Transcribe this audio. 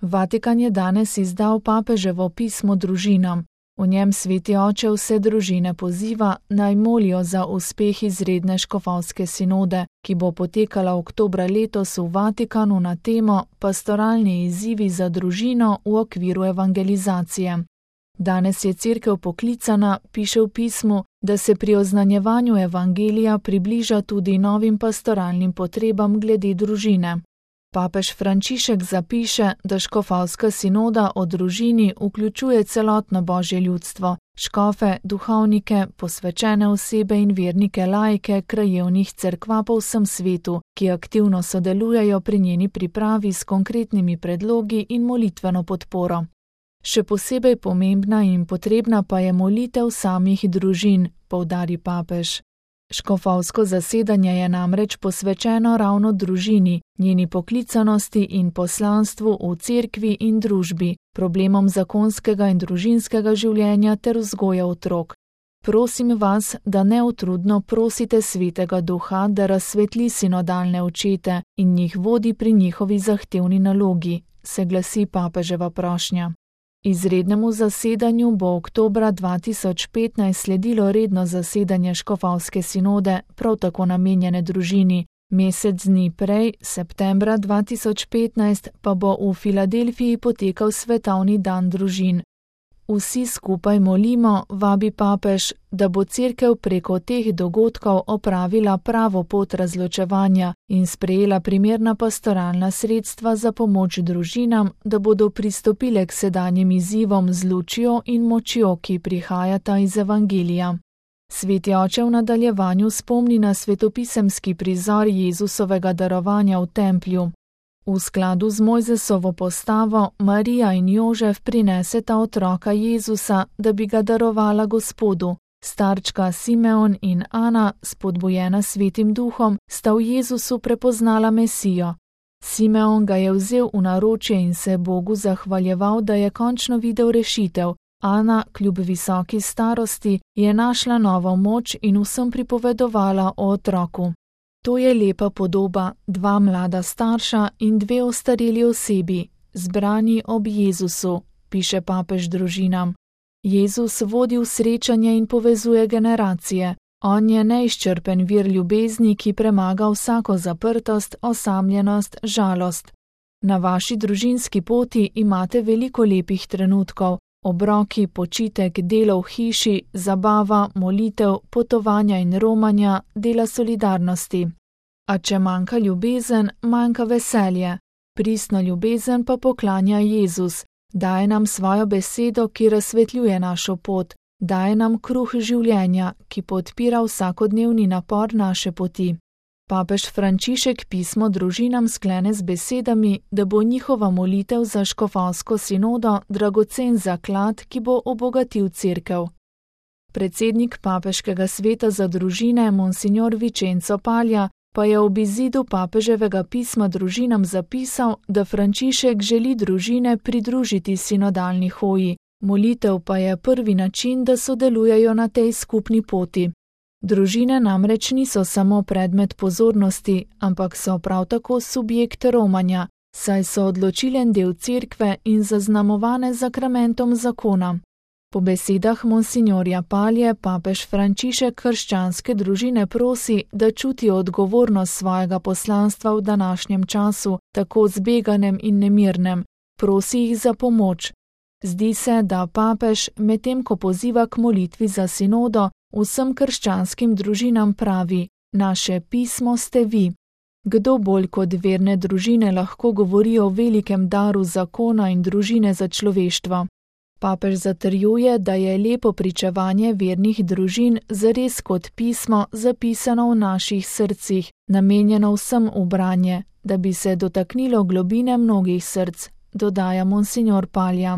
Vatikan je danes izdal papeževo pismo družinam. V njem Sveti oče vse družine poziva, naj molijo za uspeh izredne škofovske sinode, ki bo potekala oktobra letos v Vatikanu na temo Pastoralni izzivi za družino v okviru evangelizacije. Danes je Cerkev poklicana, piše v pismu, da se pri oznanjevanju evangelija približa tudi novim pastoralnim potrebam glede družine. Papež Frančišek zapiše, da škofovska sinoda o družini vključuje celotno božje ljudstvo, škofe, duhovnike, posvečene osebe in vernike laike krajevnih cerkva po vsem svetu, ki aktivno sodelujejo pri njeni pripravi s konkretnimi predlogi in molitveno podporo. Še posebej pomembna in potrebna pa je molitev samih družin, poudari papež. Škofovsko zasedanje je namreč posvečeno ravno družini, njeni poklicanosti in poslanstvu v cerkvi in družbi, problemom zakonskega in družinskega življenja ter vzgoje otrok. Prosim vas, da neutrudno prosite Svetega Duha, da razsvetli sinodalne očete in jih vodi pri njihovi zahtevni nalogi, se glasi papeževa prošnja. Izrednemu zasedanju bo oktobra 2015 sledilo redno zasedanje škofovske sinode, prav tako namenjene družini. Mesec dni prej, septembra 2015, pa bo v Filadelfiji potekal svetovni dan družin. Vsi skupaj molimo, vabi papež, da bo Cerkev preko teh dogodkov opravila pravo pot razločevanja in sprejela primerna pastoralna sredstva za pomoč družinam, da bodo pristopile k sedanjim izzivom z lučjo in močjo, ki prihajata iz evangelija. Sveti oče v nadaljevanju spomni na svetopisemski prizor Jezusovega darovanja v templju. V skladu z Mojzesovo postavo Marija in Jožef prineseta otroka Jezusa, da bi ga darovala Gospodu. Starčka Simeon in Ana, spodbujena Svetim Duhom, sta v Jezusu prepoznala Mesijo. Simeon ga je vzel v naročje in se Bogu zahvaljeval, da je končno videl rešitev. Ana, kljub visoki starosti, je našla novo moč in vsem pripovedovala o otroku. To je lepa podoba, dva mlada starša in dve ostareli osebi, zbrani ob Jezusu, piše papež družinam. Jezus vodi v srečanje in povezuje generacije. On je neizčrpen vir ljubezni, ki premaga vsako zaprtost, osamljenost, žalost. Na vaši družinski poti imate veliko lepih trenutkov, obroki, počitek, delo v hiši, zabava, molitev, potovanja in romanja, dela solidarnosti. A če manjka ljubezen, manjka veselje. Pristno ljubezen pa poklanja Jezus, daje nam svojo besedo, ki razsvetljuje našo pot, daje nam kruh življenja, ki podpira vsakodnevni napor naše poti. Papež Frančišek pismo družinam sklene z besedami, da bo njihova molitev za škofovsko sinodo dragocen zaklad, ki bo obogatil Cerkev. Predsednik papeškega sveta za družine, monsignor Vicenzo Palja, pa je ob izidu papeževega pisma družinam zapisal, da Frančišek želi družine pridružiti sinodalni hoji, molitev pa je prvi način, da sodelujejo na tej skupni poti. Družine namreč niso samo predmet pozornosti, ampak so prav tako subjekt romanja, saj so odločilen del cerkve in zaznamovane zakramentom zakona. Po besedah monsignorja Palje papež Frančišek krščanske družine prosi, da čutijo odgovornost svojega poslanstva v današnjem času, tako zbeganem in nemirnem, prosi jih za pomoč. Zdi se, da papež, medtem ko poziva k molitvi za sinodo, vsem krščanskim družinam pravi: naše pismo ste vi. Kdo bolj kot verne družine lahko govori o velikem daru zakona in družine za človeštvo? Papež zatrjuje, da je lepo pričevanje vernih družin zares kot pismo zapisano v naših srcih, namenjeno vsem v branje, da bi se dotaknilo globine mnogih src, dodaja monsignor Palja.